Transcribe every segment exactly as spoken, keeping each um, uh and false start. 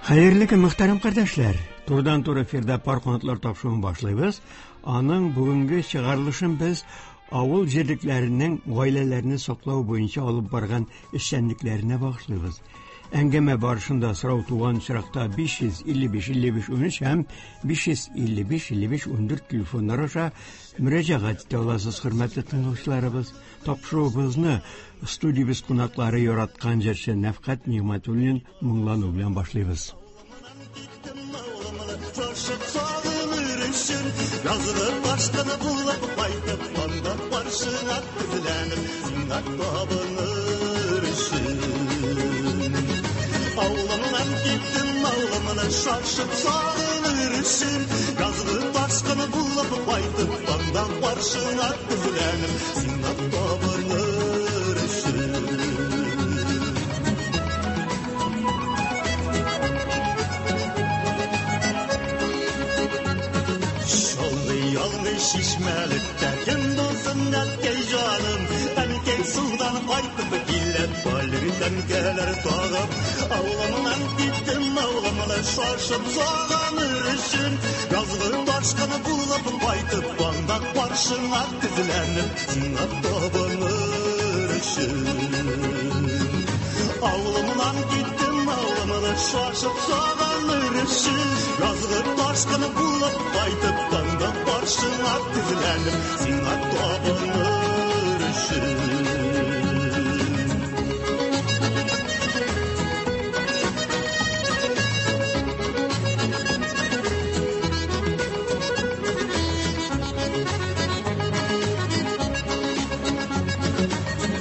Хәерле көн, мөхтәрәм кардәшләр. Турыдан-туры эфирда Пар канатлар тапшыруын башлыйбыз. Аның бүгенге чыгарылышын без авыл җирлекләренең гаиләләрне саклау буенча алып барган эшчәнлекләренә багышлыйбыз. Әңгәмә барышында сорау туган очракта биш йөз илле биш илле биш унөч һәм биш йөз илле биш илле биш ундүрт телефоннар аша мөрәҗәгать итә аласыз, хөрмәтле тыңлаучыларыбыз. Тапшыруыбызны студиябез кунаклары яраткан җырчы Нәфкать Нигъмәтуллин моңлану белән башлыйбыз. Yazılı başkanı bulup kaytıp tanda karşına tizlenip sina tabınır için. Avlımdan gittim avlımına şaşıp sağınır için. Yazılı başkanı bulup kaytıp tanda karşına tizlenip sina tabınır için. Şişmelikte kim bulsun ətkey canım, ənkey sudan qaytıp kilep balirden gelir tağıp. Avlamından gittim avlamına şaşıp sağanır için. Yazgı taşkını bulup qaytıp banda karşına tizlenip sina tabınır için. Avlamından gittim avlamına şaşıp sağanır için. Yazgı taşkını bulup qaytıp tanda karşına tizlenip sina tabınır için.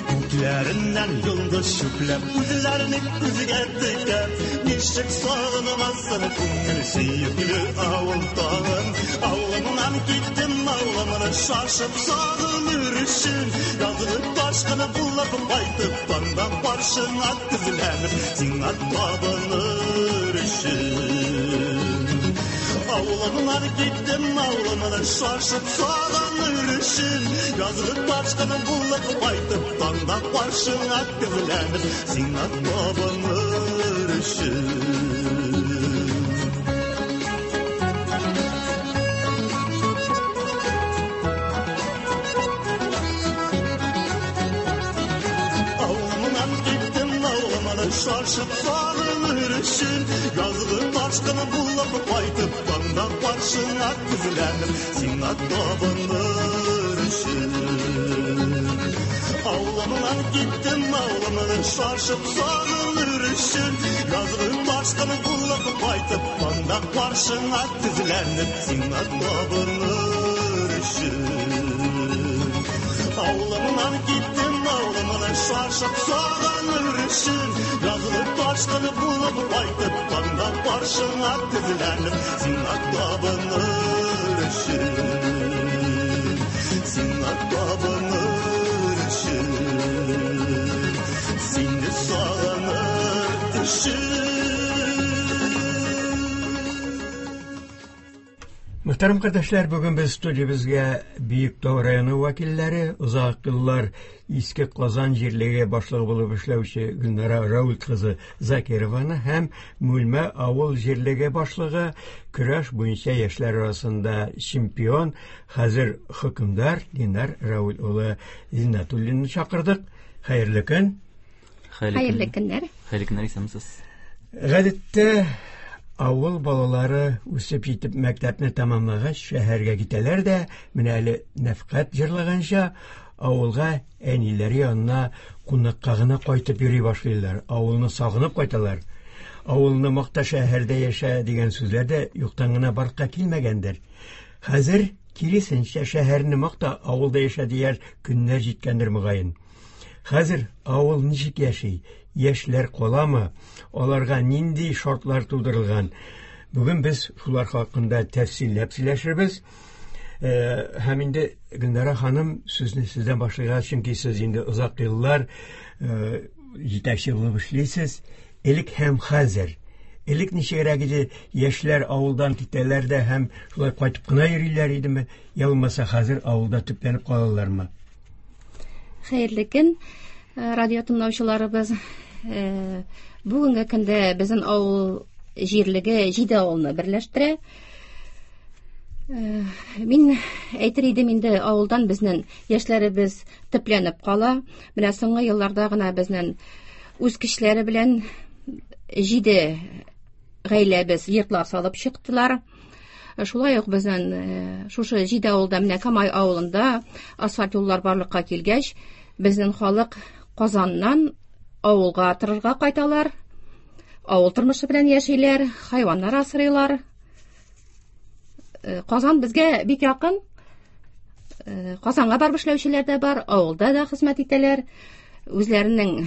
Күklerinden yıldız şüplep, üzlerini üzge tıkep, nişik sağınamazsın kungül seyikli avul tağın. Avlamından gittim avlamına şaşıp sağınır için. Yazılı taşkını bulup kaytıp tanda karşına tizlenip sina tabınır için. Avlamına gittim avlamına şaşıp sağınır için. Yazılı taşkını bulup kaytıp tanda karşına tizlenip sina tabınır için. Şaşıp sağınır için. Yazgı taşkını bulup kaytıp tanda karşına tizlenip sina tabınır için. Avlamından gittim avlamına şaşıp sağınır için. Yazgı taşkını bulup kaytıp tanda karşına tizlenip sina tabınır için. Avlamından gittim avlamına şaşıp sağınır için. Yazılı taşkını bulup kaytıp tanda karşına tizlenip sina tabınır için. Sina tabınır için. Seni sağınır için. Мөхтәрәм кардәшләр, бүген без студиябезгә Биектау районы вәкилләре, озак еллар Иске Казан җирлеге башлыгы булып эшләүче Гөлнара Рауль кызы Закированы һәм Мүлмә авыл җирлеге башлыгы, көрәш буенча яшьләр арасында чемпион, хәзер хөкемдар Динар Рауль улы Зиннәтуллинны чакырдык. Хәерле көн. Хәерле көннәр. Хәерле көннәр, исәнмесез. Гадәттә авыл балалары үсеп җитеп мәктәпне тәмамлагач шәһәргә китәләр дә, менә әле Нәфкать җырлаганча авылга әниләре янына кунакка гына кайтып йөри башлыйлар, авылны сагынып кайталар. Авылны макта шәһәрдә яшә дигән сүзләр дә юктан гына барлыкка килмәгәндер. Хәзер киресенчә, шәһәрне макта авылда яшә дияр көннәр җиткәндер мөгаен. Хәзер авыл ничек яши? Яшьләр каламы? Аларга нинди шартлар тудырылган? Бүген без шулар хакында тәфсилләп сөйләшербез. Э, һәм инде Гөлнара ханым, сүзне сездән башлыйк, чөнки сез инде озак еллар, э, җитәкче булып эшлисез. Элек һәм хәзер. Элек ничегрәк иде? Яшьләр авылдан китәләр дә һәм шулай кайтып кына йөриләр идеме? Я булмаса хәзер авылда төпләнеп калалармы? Хәерле көн, радио тыңлаучыларыбыз. Э, бүгенге көндә безнең авыл җирлеге җиде авылны берләштерә. Мин әйтер идем инде, авылдан безнең яшьләребез төпләнеп кала. Менә соңгы елларда гына безнең үз көчләре белән җиде гаиләбез йортлар салып чыктылар. Шулай ук безнең шушы җиде авылда, менә Камай авылында асфальт юллар барлыкка килгәч, безнең халык Казаннан авылга торырга кайталар. Авыл тормышы белән яшиләр, хайваннар асрыйлар. Казан безгә бик якын. Казанга барып эшләүчеләр дә бар, авылда да хезмәт итәләр. Үзләренең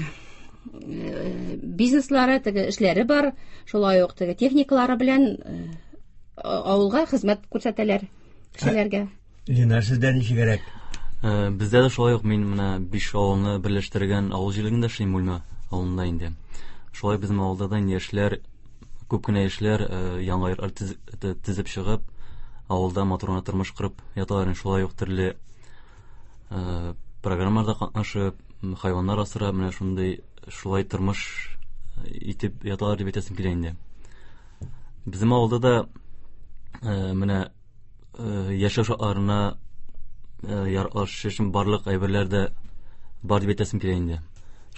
бизнеслары, теге эшләре бар, шулай ук теге техникалары белән авылга хезмәт күрсәтәләр кешеләргә. Ленар, сездә ничегрәк? Бездә дә шулай ук, мин менә биш авылны берләштергән авыл җирлегендә эшлим, Бүлмә авылында инде. Шулай безнең авылда да яшьләр, күп кенә яшьләр яңа йортлар төзеп чыгып, авылда матур гына тормыш корып яталар. Шулай ук төрле программаларда катнашып, хайваннар асрап, менә шундый шулай тормыш итеп яталар дип әйтәсем килә инде. Безнең авылда да менә яшәү шартларына яраклашу өчен барлык әйберләр дә бар дип әйтәсем килә инде.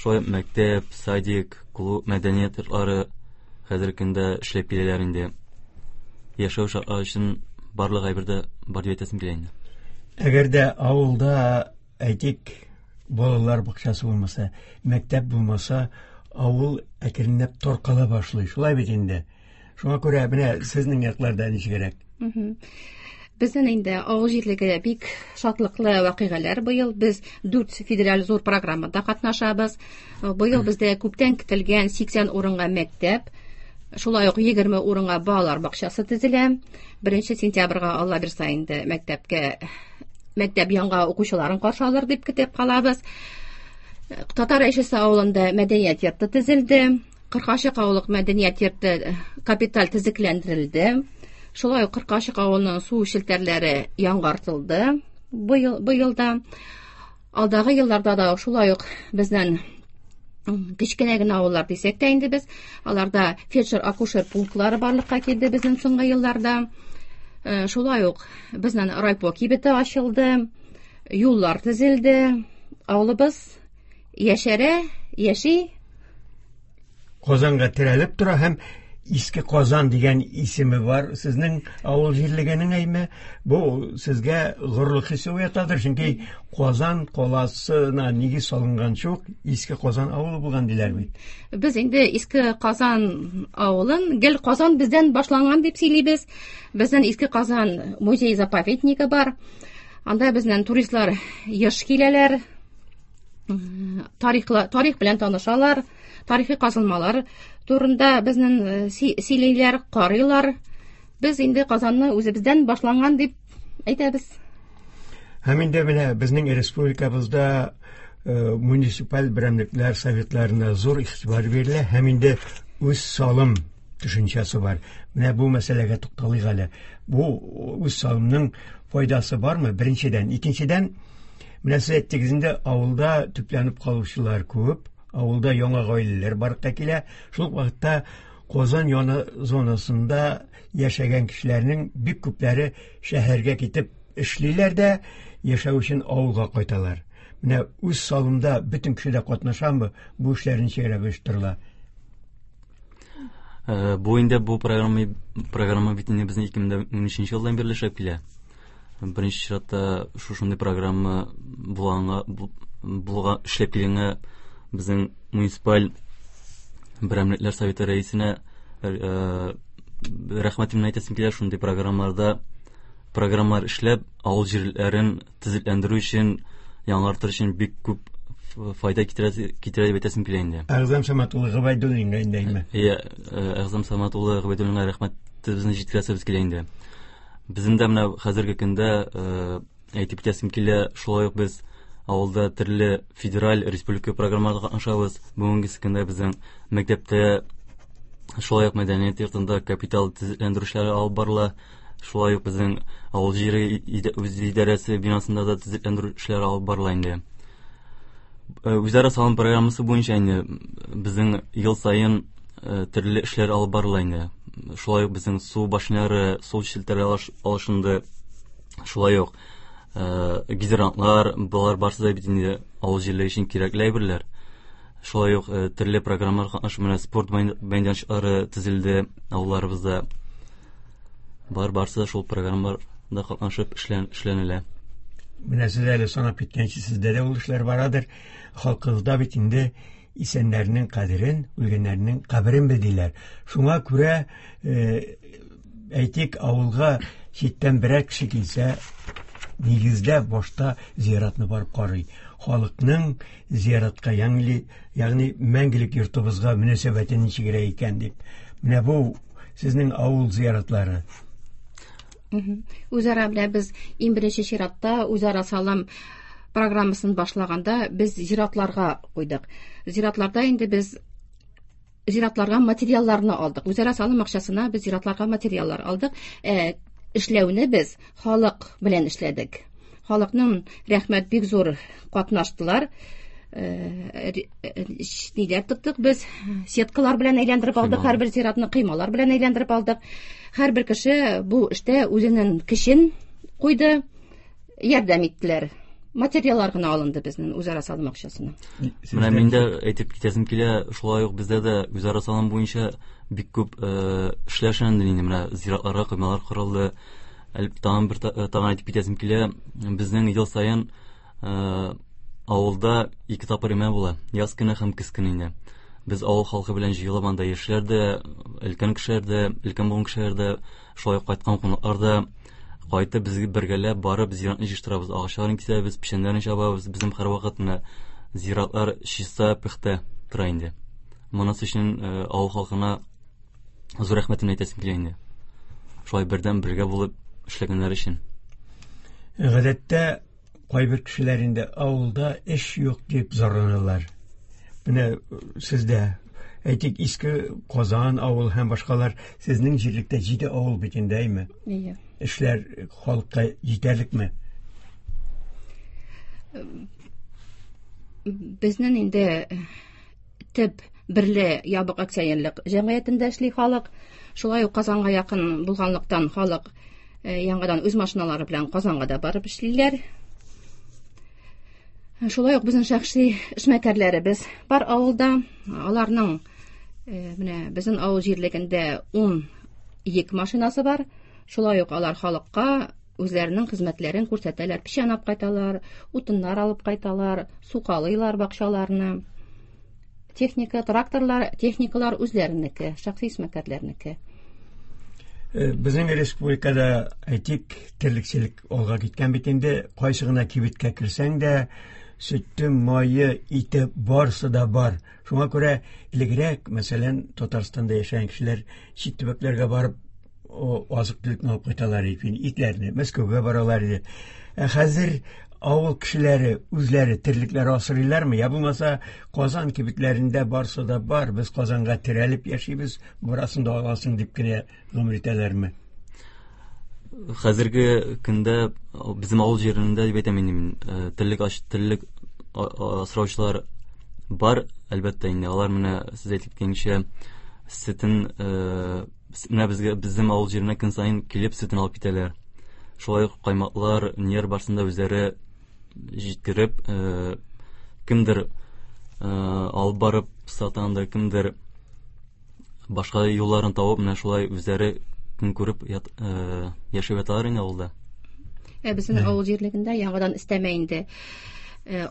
Шулай мәктәп, садик, клуб, мәдәният йортлары хәзерге көндә эшләп киләләр инде. Яшәү шартлары өчен барлык әйбер дә бар дип әйтәсем килә инде. Әгәр дә авылда, әйтик, балалар бакчасы булмаса, мәктәп булмаса, авыл әкренләп таркала башлый. Шулай бит инде. Шуңа күрә менә сезнең якларда ничегрәк? Безнең инде авыл җирлеге бик шатлыклы вакыйгалар быел. Без дүрт федераль зур программада катнашабыз. Быел бездә күптән көтелгән сиксән урынга мәктәп, шулай ук егерме урынга балалар бакчасы төзелә. Беренче сентябрьгә Алла бирсә инде мәктәпкә, мәктәп яңа укучыларын каршы алыр дип көтеп калабыз. Татар Әйшәсе авылында мәдәният йорты төзелде. Кыркачык авылык мәдәният йорты капиталь төзекләндерелде. Шулай ук Кыркачык авылының су челтәрләре яңартылды быел, быелда. Алдагы елларда да шулай ук безнең кечкенә генә авыллар дисәк тә инде без, аларда фельдшер-акушер пунктлары барлыкка килде безнең соңгы елларда. Шулай ук безнең райпо кибете ачылды, юллар төзелде. Авылыбыз яшәрә, яши. Казанга терәлеп тора һәм Иске Казан дигән исеме бар сезнең авыл җирлегенең, әйме? Бу сезгә горурлык хисе уятадыр, чөнки Казан каласына нигез салынганчы ук Иске Казан авылы булган диләр бит. Без инде Иске Казан авылын гел Казан бездән башланган дип сөйлибез. Безнең Иске Казан музей-заповеднигы бар. Анда безнең туристлар еш киләләр, тарихла, тарих белән танышалар, тарихи казылмалар турында безнең сөйлиләр, карыйлар. Без инде Казанны үзебездән башланган дип әйтәбез. Һәм инде менә безнең республикабызда муниципаль берәмлекләр советларына зур игътибар бирелә һәм инде үз салым төшенчәсе бар. Менә бу мәсьәләгә тукталыйк әле. Бу үз салымның файдасы бармы? Беренчедән, икенчедән, менә сез әйттегез инде, авылда төпләнеп калучылар күп, авылда яңа гаиләләр барлыкка килә. Шул ук вакытта Казан яны зонасында яшәгән кешеләрнең бик күпләре шәһәргә китеп эшлиләр дә, яшәү өчен авылга кайталар. Менә үз салымда бөтен кеше дә катнашамы? Бу эшләр ничегрәк оештырыла? Бу инде бу программа, программа бит инде безнең ике мең унөченче елдан бирле эшләп килә. Беренче чиратта шушындый программа булганга, булга эшләп килгәнгә безнең муниципаль берәмлекләр советы рәисенә рәхмәтемне әйтәсем килә. Шундый программаларда программалар эшләп, авыл җирләрен төзекләндерү өчен, яңартыр өчен бик күп файда китерә, китерә дип әйтәсем килә инде. Әгъзам Самат улы Гобәйдуллинга инде, әйме? Иә, Әгъзам Самат улы Гобәйдуллинга рәхмәтебезне җиткерәсебез килә инде. Безнең дә менә хәзерге көндә әйтеп китәсем килә, шулай ук без авылда төрле федераль, республика программаларда катнашабыз. Бүгенге көндә безнең мәктәптә, шулай ук мәдәният йортында капитал төзекләндерү эшләре алып барыла. Шулай ук безнең авыл җире үз идарәсе бинасында да төзекләндерү эшләре алып барыла инде. Үзара салым программасы буенча инде безнең ел саен төрле эшләр алып барыла инде. Шулай ук безнең су башнялары, су челтәре алышынды. Шулай ук гидрантлар, болар барысы да бит инде авыл җирлеге өчен кирәкле әйберләр. Шулай ук төрле программалар катнашу, менә спорт мәйданчыклары төзелде авылларыбызда. Бар барысы да шул программаларда катнашып эшләнелә. Менә сез әле санап киткәнче, сездә дә ул эшләр барадыр. Халкыбызда бит инде исәннәрнең кадерен, үлгәннәрнең каберен бел диләр. Шуңа күрә, әйтик, авылга читтән берәр кеше килсә, нигездә башта зиратны барып карый. Халыкның зиратка, ягъни, ягъни мәңгелек йортыбызга мөнәсәбәте ничегрәк икән дип. Менә бу сезнең авыл зияратлары. Үзара белән без иң беренче чиратта үзара салым программасын башлаганда без зиратларга куйдык. Зиратларда инде без зиратларга материалларны алдык. Үзара салым акчасына без зиратларга материаллар алдык. Ә эшләүне без халык белән эшләдек. Халыкның рәхмәт бик зур катнаштылар. Ниләр тоттык без, сеткалар белән әйләндереп алдык, һәрбер зиратны кыймалар белән әйләндереп алдык. Һәрбер кеше бу эштә үзенең көчен куйды, ярдәм иттеләр. Материаллар гына алынды безнең үзара салым акчасына. Менә мин дә әйтеп китәсем килә, шулай ук бездә дә үзара салым буенча бик күп эшләр эшләнде инде. Менә зиратларга кыймалар корылды. Тагын бер тагын әйтеп китәсем килә, безнең ел саен авылда ике тапкыр имә була, яз көне һәм көз көне инде. Без авыл халкы белән җыелып анда яшьләр дә, өлкән кешеләр дә, өлкән буын кешеләр дә, шулай ук кайткан кунаклар да кайтып безгә бергәләп барып зиратны җыештырабыз, агачларын кисәбез, печәннәрен чабабыз. Безнең һәрвакыт менә зиратлар чиста, пөхтә тора инде. Монысы өчен авыл халкына зур рәхмәтемне әйтәсем килә инде. Шулай бердәм бергә булып эшләгәннәр өчен. Гадәттә кайбер кешеләр инде авылда эш юк дип зарланалар. Менә сездә, әйтик, Иске Казан авыл һәм башкалар, сезнең җирлектә җиде авыл бит инде, әйме? Әйе. Эшләр халыкка җитәрлекме? Безнең инде төп берле ябык акционерлык җәмгыятендә эшли халык. Шулай ук Казанга якын булганлыктан халык яңадан үз машиналары белән Казанга да барып эшлиләр. Шулай ук безнең шәхси эшмәкәрләребез бар авылда. Аларның менә безнең авыл җирлегендә ун йөк машинасы бар. Шулай ук алар халыкка үзләренең хезмәтләрен күрсәтәләр. Печән алып кайталар, утыннар алып кайталар, сукалыйлар бакчаларны. Техника, тракторлар, техникалар үзләренеке, шәхси эшмәкәрләрнеке. Безнең республикада, әйтик, терлекчелек алга киткән бит инде. Кайсы гына кибеткә керсәң дә, сөте, мае, ите барысы да бар. Шуңа күрә элегрәк, мәсәлән, Татарстанда яшәгән кешеләр чит төбәкләргә барып азык-төлекне алып кайталар иде, итләрне, Мәскәүгә баралар иде. Ә хәзер авыл кешеләре үзләре терлекләр асрыйлармы? Я булмаса, Казан кибетләрендә барысы да бар, без Казанга терәлеп яшибез, барасын да аласың дип кенә гомер итәләрме? Хәзерге көндә безнең авыл җирендә дип әйтәм инде мин, терлек терлек асраучылар бар, әлбәттә инде. Алар менә сез әйтеп киткәнчә сөтен, менә безгә, безнең авыл җиренә көн саен килеп сөтен алып китәләр. Шулай ук каймаклар, нияр барсында үзләре җиткереп, кемдер алып барып сатанда, кемдер башка юлларын табып, менә шулай үзләре көн күреп яшәп яталар инде авылда. Ә безнең авыл җирлегендә яңадан өстәмә инде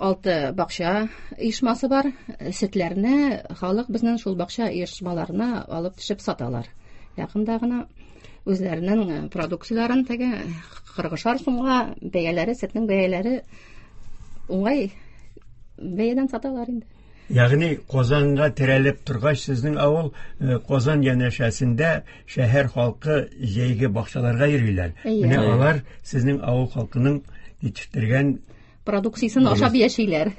алты бакча оешмасы бар. Сөтләрне халык безнең шул бакча оешмаларына алып төшеп саталар. Якында гына үзләренең продукцияләрен теге кырыгышар сумга бәяләре, сөтнең бәяләре уңай бәядән саталар инде. Ягъни Казанга терәлеп торгач, сезнең авыл Казан янәшәсендә шәһәр халкы җәйге бакчаларга йөриләр. Менә алар сезнең авыл халкының җитештергән продукциясын ашап яшиләр.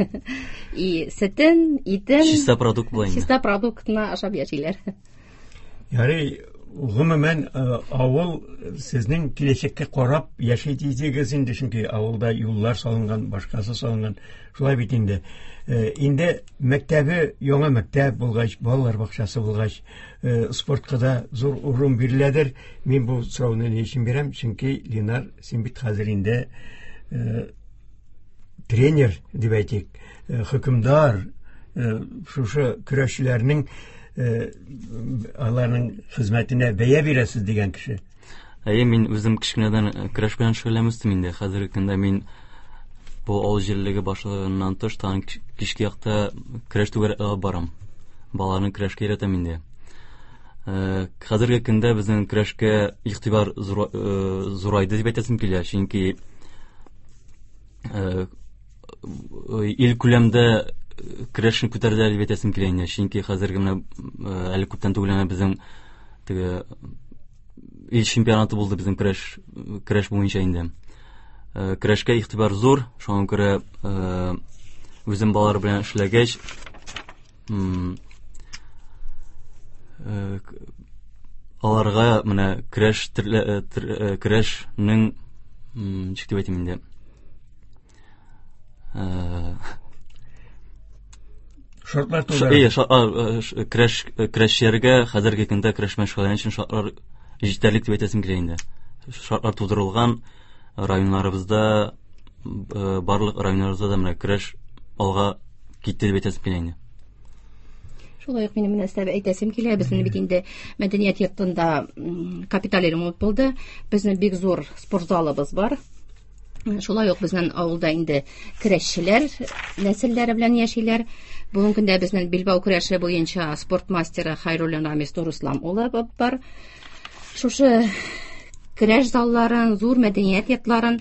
И сөтен, итен, чиста продукт була инде. Чиста продуктны ашап яшиләр. Ярый, Гомумән, авыл сезнең киләчәккә карап яши дисегез инде, чөнки авылда юллар салынган, башкасы салынган. Шулай бит инде. Инде мәктәбе яңа мәктәп булгач, балалар бакчасы булгач, спортка да зур урын биреләдер. Мин бу сорауны ни өчен бирәм? Чөнки Ленар, син бит хәзер инде тренер дип әйтик, хөкемдар, шушы көрәшчеләрнең аларның хезмәтенә бәя бирәсез дигән кеше. Әйе, мин үзем кечкенәдән көрәш белән шөгыльләнеп үстем инде. Хәзерге көндә мин бу авыл җирлеге башлыгыннан тыш тагын кичке якта көрәш түгәрәге алып барам. Балаларны көрәшкә өйрәтәм инде. Хәзерге көндә безнең көрәшкә игътибар зурайды дип әйтәсем килә, чөнки ил күләмдә көрәшне күтәрделәр дип әйтәсем килә инде. Чөнки хәзерге менә әле күптән түгел генә безнең теге ил чемпионаты булды безнең көрәш, көрәш буенча инде. Көрәшкә игътибар зур, шуңа күрә үзем балалар белән эшләгәч, аларга менә көрәш көрәшнең ничек дип әйтим инде? Шартлар тудыра. Әйе, көрәш, көрәшчеләргә хәзерге көндә көрәш белән шөгыльләнү өчен шартлар җитәрлек дип әйтәсем килә инде. Шартлар тудырылган районнарыбызда, барлык районнарыбызда да менә көрәш алга китте дип әйтәсем килә инде. Шулай ук минем менә әйтәсем килә, безнең бит инде мәдәният йортында капиталь ремонт булды. Безнең бик зур спорт залыбыз бар. Шулай ук безнең авылда инде көрәшчеләр нәселләре белән яшиләр. Бүгенге көндә безнең билбау көрәше буенча спорт мастеры Хайруллин Рамис Нурислам улы бар. Шушы көрәш залларын, зур мәдәният йортларын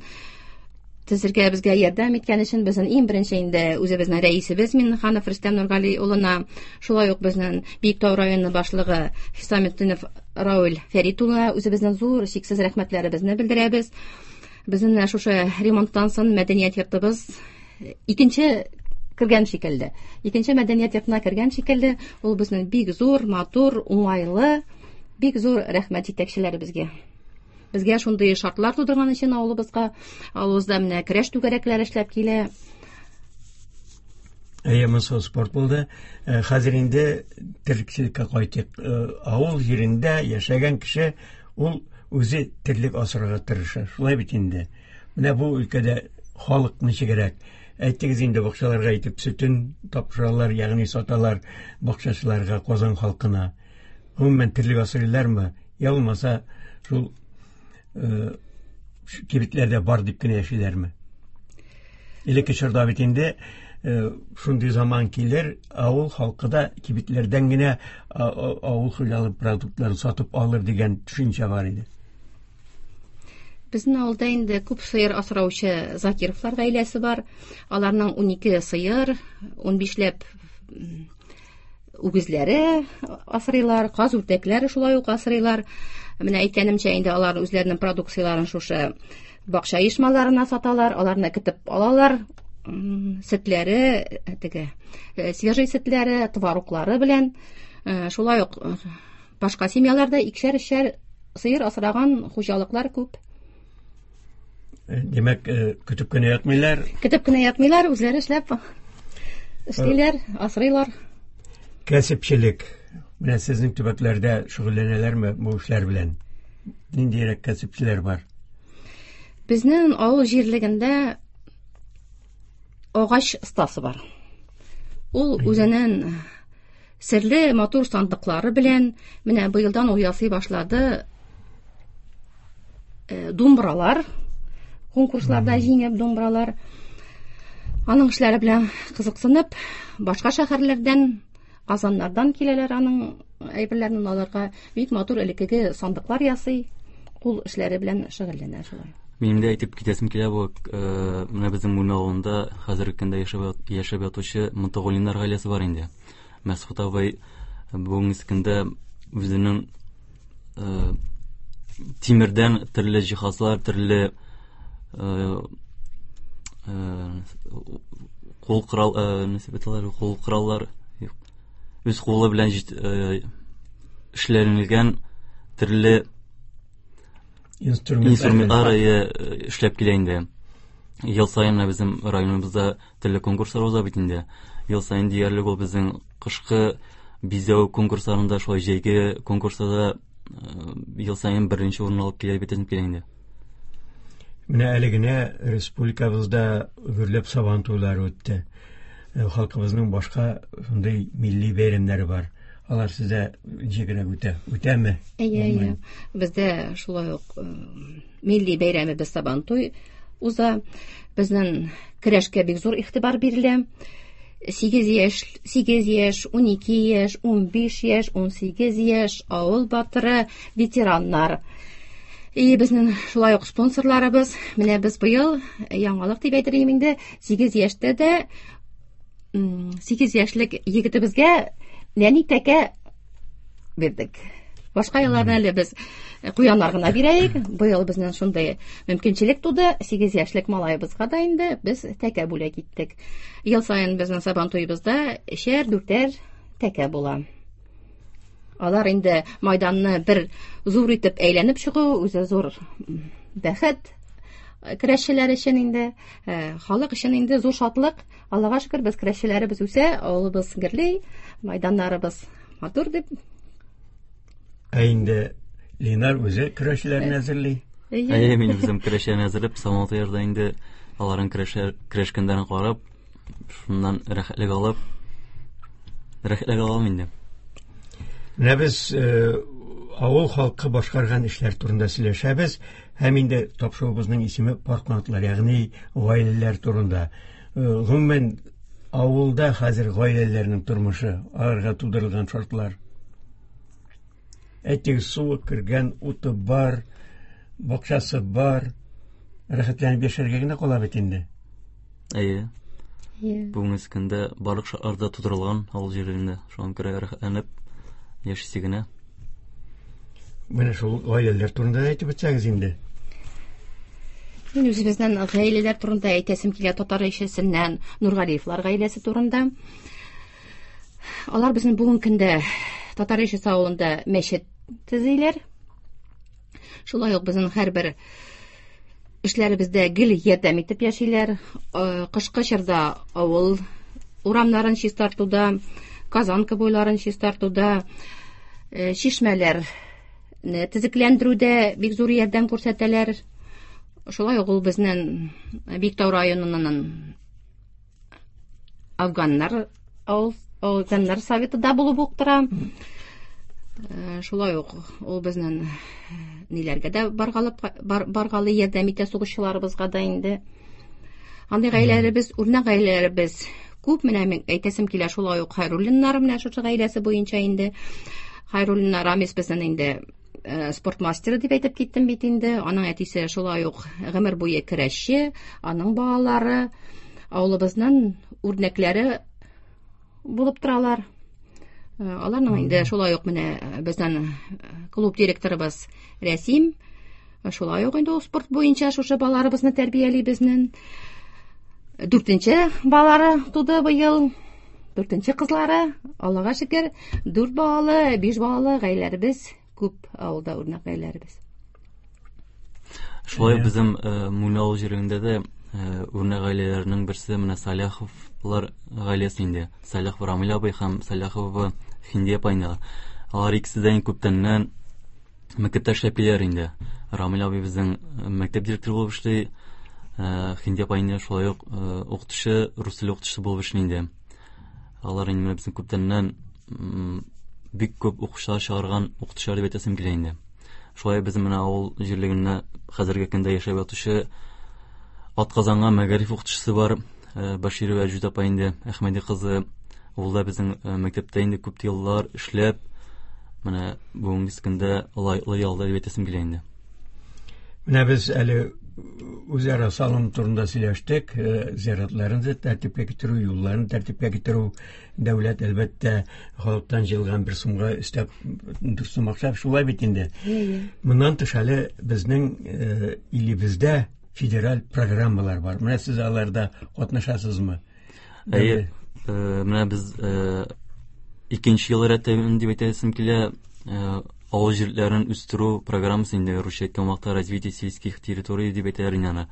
төзергә безгә ярдәм иткән өчен безнең иң беренче инде үзебезнең рәисебез Миннеханов Рөстәм Нургали улына, шулай ук безнең Биектау районы башлыгы Хисаметдинов Рауль Фәрит улына үзебезнең зур чиксез рәхмәтләребезне белдерәбез. Безнең шушы ремонттан соң мәдәният йортыбыз икенче кергән шикелле. Икенче мәдәният йортына кергән шикелле, ул безнең бик зур, матур, уңайлы, бик зур рәхмәт җитәкчеләребезгә. Безгә шундый шартлар тудырган өчен авылыбызга, авылыбызда менә көрәш түгәрәкләре эшләп килә. Әйе, монысы спорт булды. Хәзер инде терлекчелеккә кайтыйк. Авыл җирендә яшәгән кеше ул үзе терлек асрарга тырыша. Шулай бит инде. Менә бу өлкәдә халык ничегрәк? Әйтегез инде, бакчаларга итеп сөтен тапшыралар, ягъни саталар бакчачыларга, Казан халкына. Гомумән терлек асрыйлармы? Я булмаса шул кибетләрдә бар дип кенә яшиләрме? Элекке чорда бит инде шундый заман килер, авыл халкы да кибетләрдән генә авыл хуҗалык продуктларын сатып алыр дигән төшенчә бар иде. Безнең авылда инде күп сыер асраучы Закировлар гаиләсе бар. Аларның ун ике сыер, ун бишләп үгезләре асрыйлар, каз үрдәкләре шулай ук асрыйлар. Менә әйткәнемчә инде алар үзләренең продукцияләрен шушы бакча оешмаларына саталар, аларны көтеп алалар. Сөтләре, теге свежий сөтләре, твороглары белән. Шулай ук башка семьяларда икешәр-өчәр сыер асраган хуҗалыклар күп. Димәк, көтеп кенә ятмыйлар. Көтеп кенә ятмыйлар, үзләре эшләп эшлиләр, асрыйлар. Кәсепчелек. Менә сезнең төбәкләрдә шөгыльләнәләрме бу эшләр белән? Ниндирәк кәсепчеләр бар? Безнең авыл җирлегендә агач остасы бар. Ул үзенең серле матур сандыклары белән менә быелдан ул ясый башлады. Думбралар, конкурсларда җиңеп думбралар. Аның эшләре белән кызыксынып, башка шәһәрләрдән, Казаннардан киләләр аның әйберләрен алырга. Бик матур элеккеге сандыклар ясый, кул эшләре белән шөгыльләнә шулай. Минем дә әйтеп китәсем килә, бу менә безнең Мүлмә авылында хәзерге көндә яшәп яшәп ятучы Мутагуллиннар гаиләсе бар инде. Мәсхүт абый бүгенге көндә үзенең тимердән төрле җиһазлар, төрле кул корал, нәрсә бит алар, кул кораллар, үз кулы белән эшләнелгән төрле инструментлар эшләп килә инде. Ел саен менә безнең районыбызда төрле конкурслар уза бит инде. Ел саен диярлек ул безнең кышкы бизәү конкурсларында, шулай җәйге конкурсларда ел саен беренче урын алып килә бит инде. Менә әле генә республикабызда гөрләп сабан туйлары үтте. Халкыбызның башка шундый милли бәйрәмнәре бар. Алар сездә ничек кенә үтә? Үтәме? Әйе, әйе. Бездә шулай ук милли бәйрәмебез Сабантуй уза. Безнең көрәшкә бик зур игътибар бирелә. Сигез яшь, сигез яшь, ун ике яшь, ун биш яшь, ун сигез яшь, авыл батыры, ветераннар. И безнең шулай ук спонсорларыбыз. Менә без быел яңалык дип әйтер идем инде, сигез яшьтә дә сигез яшьлек егетебезгә нәни тәкә бирдек. Башка елларда әле без куяннар гына бирәйек. Быел безнең шундый мөмкинчелек туды. Сигез яшьлек малаебызга да инде без тәкә бүләк иттек. Ел саен безнең Сабан туебызда өчәр, дүртәр тәкә була. Алар инде майданны бер зур итеп әйләнеп чыгу, үзе зур бәхет көрәшчеләр өчен инде, халык өчен инде зур шатлык. Аллага шөкер, без көрәшчеләребез үсә, авылыбыз гөрли, майданнарыбыз матур дип. Ә инде Ленар үзе көрәшчеләрне әзерли. Әйе, мин үзем көрәшчеләрне әзерләп, Сабан туйларда инде аларның көрәшчеләр көрәшкәннәрен карап, шуннан рәхәтлек алып, рәхәтлек алам инде. Менә без авыл халкы башкарган эшләр турында сөйләшәбез һәм инде тапшыруыбызның исеме пар канатлар, ягъни гаиләләр турында. Гомумән, авылда хәзер гаиләләрнең тормышы, аларга тудырылган шартлар. Әйтик, суы кергән, уты бар, бакчасы бар, рәхәтләнеп яшәргә генә кала бит инде. Әйе. Бүгенге көндә барлык шартлар да тудырылган авыл җирлегендә. Шуңа күрә рәхәтләнеп яшисе генә. Менә шул гаиләләр турында әйтеп үтсәгез инде. Мин үзебезнең гаиләләр турында әйтәсем килә, татар ишесеннән Нургалиевлар гаиләсе турында. Алар безнең бүгенге көндә татар ишесе авылында мәчет төзиләр. Шулай ук безнең һәрбер эшләребездә гел ярдәм итеп яшиләр. Кышкы чорда авыл урамнарын чистартуда, Казанка буйларын чистартуда, чишмәләрне төзекләндерүдә бик зур ярдәм күрсәтәләр. Шулай ук ул безнең Биктау районының афганнар авыл афганнар советы да булып ук тора. Шулай ук ул безнең ниләргә дә баргалып баргалы ярдәм итә сугышчыларыбызга да инде. Андый гаиләләребез, үрнәк гаиләләребез күп. Менә мин әйтәсем килә, шулай ук Хайруллиннар менә шушы гаиләсе буенча инде. Хайруллиннар Рамис безнең инде спорт мастеры дип әйтеп киттем бит инде. Аның әтисе шулай ук гомер буе көрәшче, аның балалары авылыбызның үрнәкләре булып торалар. Аларның инде шулай ук менә безнең клуб директорыбыз Рәсим, шулай ук инде ул спорт буенча шушы балаларыбызны тәрбияли безнең. Дүртенче балалары туды быел, дүртенче кызлары, Аллага шөкер, дүрт балалы, биш балалы гаиләләребез күп авылда, үрнәк гаиләләребез. Шулай безнең Муйна авыл җирлегендә дә үрнәк гаиләләрнең берсе менә Саляховлар гаиләсе инде. Саляхов Рамил абый һәм Саляхова Хиндия апай инде. Алар икесе дә күптәннән мәктәптә эшләп киләләр инде. Рамил абый безнең мәктәп директоры булып эшли, Хиндия апай инде шулай ук укытучы, рус теле укытучысы булып эшли инде. Алар инде безнең күптәннән бик күп укучылар чыгарган укытучылар дип әйтәсем килә инде. Шулай безнең менә авыл җирлегендә хәзерге көндә яшәп ятучы атказанган мәгариф укытучысы бар, Баширова Әҗүд апай инде, Әхмәди кызы. Ул да безнең мәктәптә инде күп еллар эшләп, менә бүгенге көндә лаеклы ялда дип әйтәсем килә инде. Менә без әле үзара салым турында сөйләштек, зиратларын тәртипкә китерү, юлларын тәртипкә китерү, дәүләт әлбәттә халыктан җыелган бер сумга өстәп дүрт сум акча, шулай бит инде. Моннан тыш әле безнең илебездә федераль программалар бар. Менә сез аларда катнашасызмы? Әйе, менә без икенче ел рәттән дип әйтәсем килә, Авыл җирләрен үстерү программасы инде, русча әйткән вакытта развитие сельских территорий дип әйтәләр инде аны.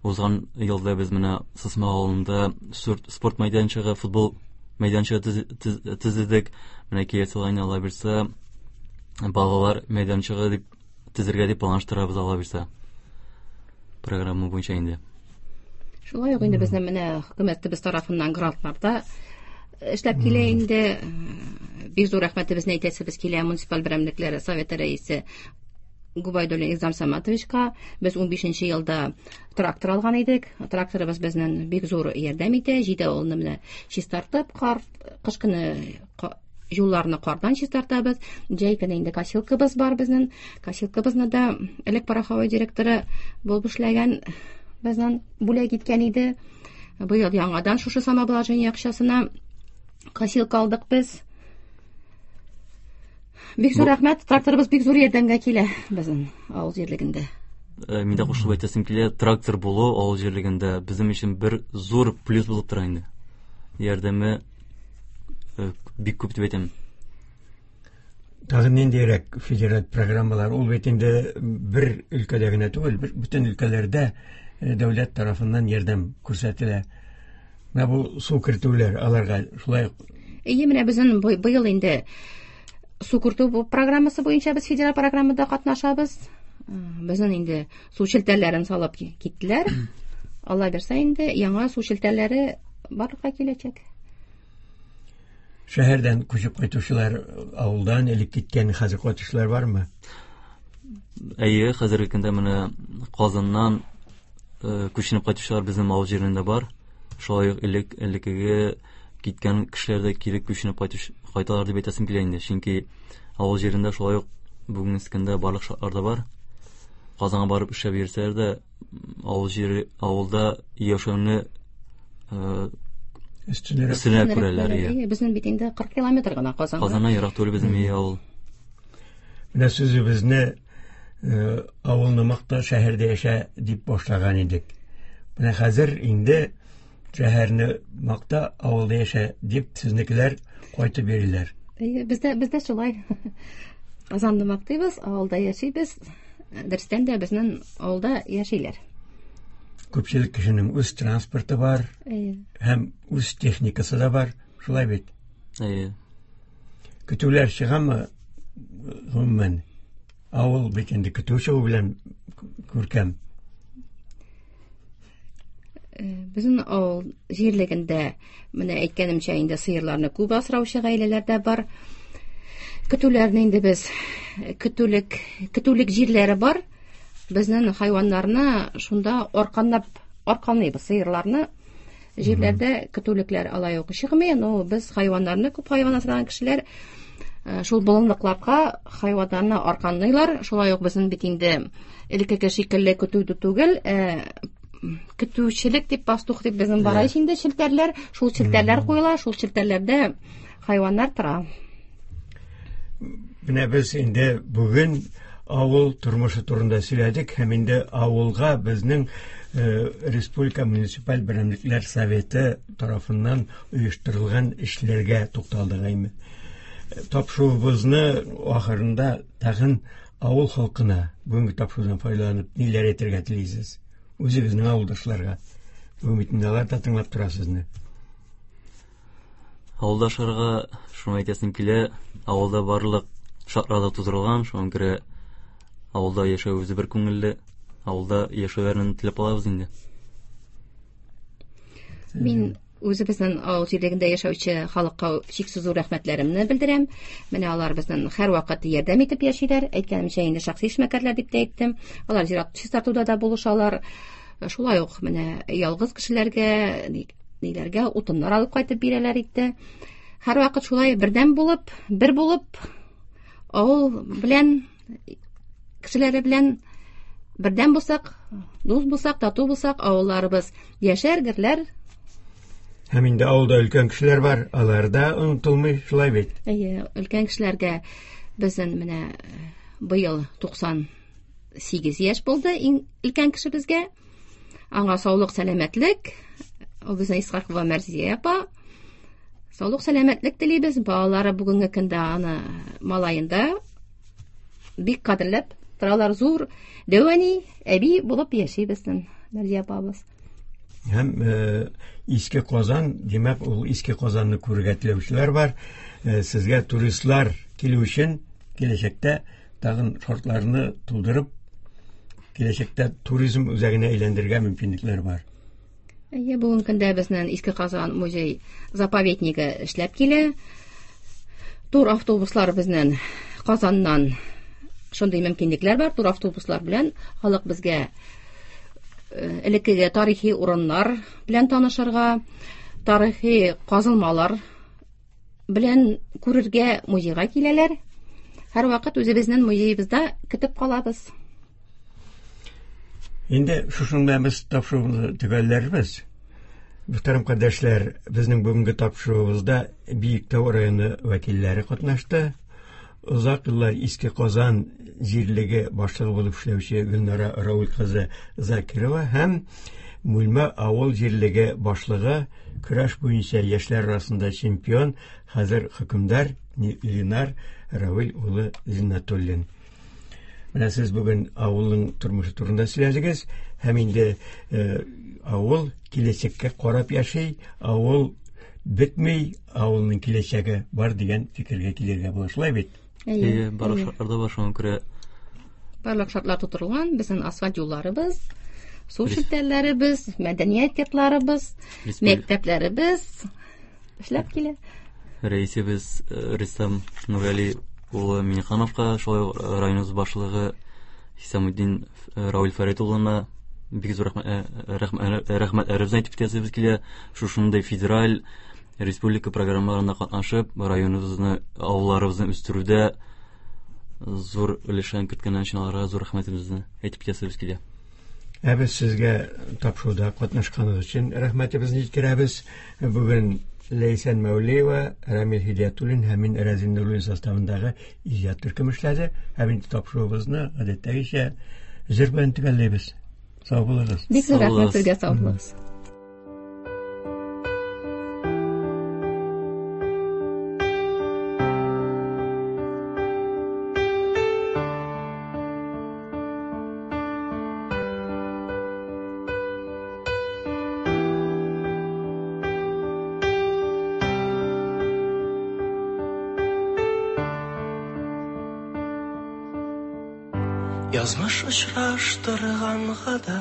Узган елда без менә Сысма авылында спорт мәйданчыгы, футбол мәйданчыгы төзедек. Менә киләсе елга инде, Алла бирсә, балалар мәйданчыгы дип төзергә дип планлаштырабыз, Алла бирсә. Программа буенча инде. Шулай ук инде безнең менә хөкүмәтебез тарафыннан грантларда эшләп килә инде. Бик зур рәхмәтебезне әйтәсебез килә муниципаль берәмлекләре советы рәисе Губайдуллин Илзам Саматовичка. Без унбишенче елда трактор алган идек. Тракторыбыз безнең бик зур ярдәм итә. Җиде авылны менә чистартып, кар, кыш көне юлларны кардан чистартабыз. Җәй көне инде косилкабыз бар безнең. Косилкабызны да элек пароховой директоры булып эшләгән безнең бүләк иткән иде. Быел яңадан шушы самообложение акчасына косилка алдык без. Бик зур рәхмәт, тракторыбыз бик зур ярдәмгә килә безнең авыл җирлегендә. Мин дә кушылып әйтәсем килә, трактор булу авыл җирлегендә безнең өчен бер зур плюс булып тора инде. Ярдәме бик күп дип әйтәм. Тагын ниндирәк федераль программалар? Ул бит инде бер өлкәдә генә түгел, бөтен өлкәләрдә дәүләт тарафыннан ярдәм күрсәтелә. Менә бу су кертүләр, аларга шулай ук. Әйе, менә безнең быел инде су кертү программасы буенча без федераль программада катнашабыз. Безнең инде су челтәрләрен салып киттеләр. Алла бирсә инде яңа су челтәрләре барлыкка киләчәк. Шәһәрдән күчеп кайтучылар, авылдан элек киткән хәзер кайтучылар бармы? Әйе, хәзерге көндә менә Казаннан күченеп кайтучылар безнең авыл җирендә бар. Шулай ук элек элеккеге киткән кешеләр дә кире күченеп кайтуш, кайталар дип әйтәсем килә инде. Чөнки авыл җирендә шулай ук бүгенге көндә барлык шартлар да бар. Казанга барып эшләп йөрсәләр дә, авыл җире, авылда яшәүне өстенрәк өстенрәк күрәләр. Безнең бит инде кырык километр гына Казанга. Казаннан ерак түгел безнең авыл. Менә сүзебезне авылны макта, шәһәрдә яшә дип башлаган идек. Менә хәзер инде шәһәрне макта, авылда яшә дип сезнекеләр кайтып йөриләр. Бездә, бездә шулай. Казанны мактыйбыз, авылда яшибез. Дөрестән дә безнең авылда яшиләр. Күпчелек кешенең үз транспорты бар, һәм үз техникасы да бар, шулай бит? Әйе. Көтүләр чыгамы гомумән? Авыл бит инде көтү чыгу белән күркәм. Безнең авыл җирлегендә, менә әйткәнемчә, инде сыерларны күп асраучы гаиләләр дә бар. Көтүләрне инде без көтүлек, көтүлек җирләре бар. Безнең хайваннарны шунда арканлап, арканлыйбыз сыерларны. Җирләрдә көтүлекләр алай ук чыкмый, но без хайваннарны, күп хайван асраган кешеләр шул болынлыкларга хайваннарны арканлыйлар. Шулай ук безнең бит инде элеккеге шикелле көтү түгел, көтүчелек дип, пастух дип безнең бара инде челтәрләр, шул челтәрләр куела, шул челтәрләрдә хайваннар тора. Менә без инде бүген авыл тормышы турында сөйләдек һәм инде авылга безнең Республика муниципаль берәмлекләр советы тарафыннан оештырылган эшләргә тукталдык әйме. Тапшыруыбызны ахырында тагын авыл халкына бүгенге тапшырудан файдаланып ниләр әйтергә телисез? Үзегезнең авылдашларга. Бүген бит инде алар да тыңлап тора сезне. Авылдашларга шуны әйтәсем килә, авылда барлык шартлар да тудырылган, шуңа күрә авылда яшәү үзе бер күңелле, авылда яшәүләрен теләп алабыз инде. Мин үзебезнең авыл җирлегендә яшәүче халыкка чиксез зур рәхмәтләремне белдерәм. Менә алар безнең һәрвакыт ярдәм итеп яшиләр. Әйткәнемчә, инде шәхси эшмәкәрләр дип тә әйттем. Алар зират чистартуда да булышалар. Шулай ук менә ялгыз кешеләргә, ниләргә утыннар алып кайтып бирәләр итте. Һәрвакыт шулай бердәм булып, бер булып, авыл белән, кешеләре белән бердәм булсак, дус булсак, тату булсак, авылларыбыз яшәр, гөрләр. Һәм инде авылда өлкән кешеләр бар, алар да онытылмый, шулай бит? Әйе, өлкән кешеләргә безнең менә быел туксан сигез яшь булды иң өлкән кешебезгә. Аңа саулык, сәламәтлек. Ул безнең Исхакова Мәрзия апа. Саулык, сәламәтлек телибез. Балалары бүгенге көндә аны малаенда бик кадерләп торалар. Зур дәү әни, әби булып яши безнең Мәрзия апабыз. Һәм э, Иске Казан, димәк, ул Иске Казанны күрергә теләүчеләр бар. Э, сезгә туристлар килү өчен киләчәктә тагын шартларны тудырып, киләчәктә туризм үзәгенә әйләндерергә мөмкинлекләр бар. Әйе, бүгенге көндә безнең Иске Казан музей заповеднигы эшләп килә. Тур автобуслар безнең Казаннан шундый мөмкинлекләр бар. Тур автобуслар белән халык безгә элеккеге тарихи урыннар белән танышырга, тарихи казылмалар белән күрергә музейга киләләр. Һәрвакыт үзебезнең музеебызда көтеп калабыз. Инде шушының белән без тапшыруыбызны төгәлләрбез. Мөхтәрәм кардәшләр, безнең бүгенге тапшыруыбызда Биектау районы вәкилләре катнашты. Озак еллар Иске Казан җирлеге башлыгы булып эшләүче Гөлнара Рауль кызы Закирова һәм Мүлмә авыл җирлеге башлыгы, көрәш буенча яшьләр арасында чемпион, хәзер хөкемдар Ленар Равил улы Зиннатуллин. Менә сез бүген авылның тормышы турында сөйләдегез, һәм инде авыл киләчәккә карап яши, авыл бетми, авылның киләчәге бар дигән фикергә килергә була, шулай бит? Әйе, барлык шартлар да бар, шуңа күрә барлык шартлар тутырылган, безнең асфальт юлларыбыз, су челтәрләребез, мәдәният йортларыбыз, мәктәпләребез эшләп килә. Рәисебез Рөстәм Нургали улы Миннехановка, шулай ук районыбыз башлыгы Хисамутдин Рауль Фәрит улына бик зур рәхмәтләребезне әйтеп китәсебез килә. Шушындай федераль республика программаларында катнашып, районыбызны, авылларыбызны үстерүдә зур өлешен керткән өчен аларга зур рәхмәтебезне әйтеп китәсебез килә. Ә без сезгә тапшыруда катнашканыгыз өчен рәхмәтебезне җиткерәбез. Бүген Ләйсән Мәүлиева, Рамил Һидиятуллин һәм мин Рәзин Нуруллин составындагы иҗат төркеме эшләде. Һәм инде тапшыруыбызны гадәттәгечә җыр белән төгәлләйбез. Сау булыгыз. Бик зур рәхмәт сезгә, сау булыгыз. Язмыш очраштырганга да,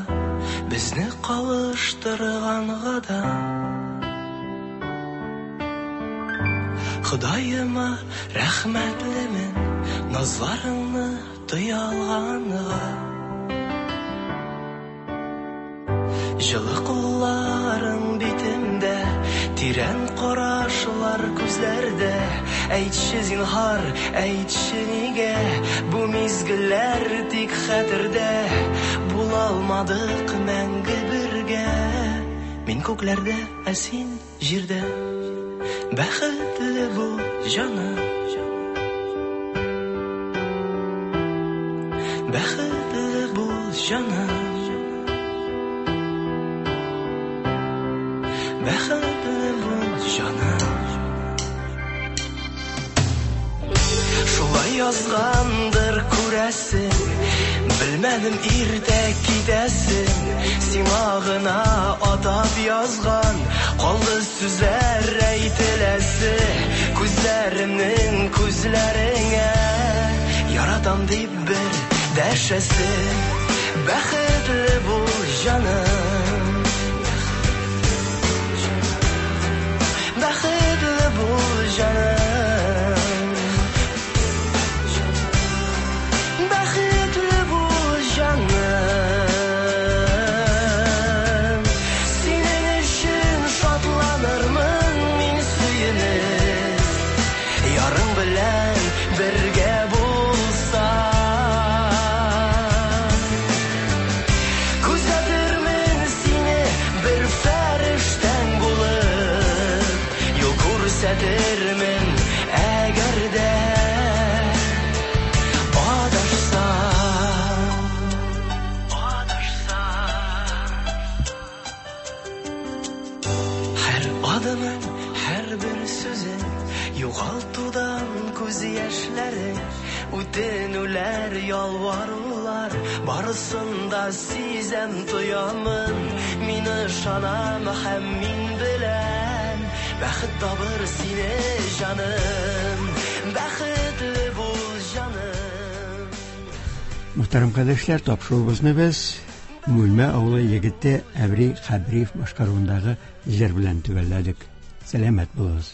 безне кавыштырганга да, Ходаема рәхмәтлемен назларыңны тоя алганга. Җылы кулларың битемдә, тирән карашлар күзләрдә. Әйтче зинһар, әйтче нигә бу мизгелләр тик хәтердә. Була алмадык мәңге бергә. Мин күкләрдә, ә син җирдә. Бәхетле бул, җаным. Бәхетле бул, җаным. Бәхетле бул, җаным. Шулай язгандыр күрәсең, белмәдем иртә китәсең. Сиңа гына атап язган калды сүзләр әйтеләсе. Күзләремнең күзләреңә яратам дип бер дәшәсе. Бәхетле бул, җаным. Бәхетле бул, җаным. Бәхетле бул, җаным. Синең өчен шатланырмын мин сөенеп, ярың белән бергә булсам. Күзәтермен сине бер фәрештәң булып, юл күрсәтермен. Күз яшьләрең, үтенүләр, ялварулар, барысын да сизәм, тоямын. Мин ышанам һәм мин беләм, бәхет табыр сине, җаным. Бәхетле бул, җаным. Мөхтәрәм кардәшләр, тапшыруыбызны без Мүлмә авылы егете Әбри Хәбриев башкаруындагы җыр белән төгәлләдек. Сәламәт булыгыз.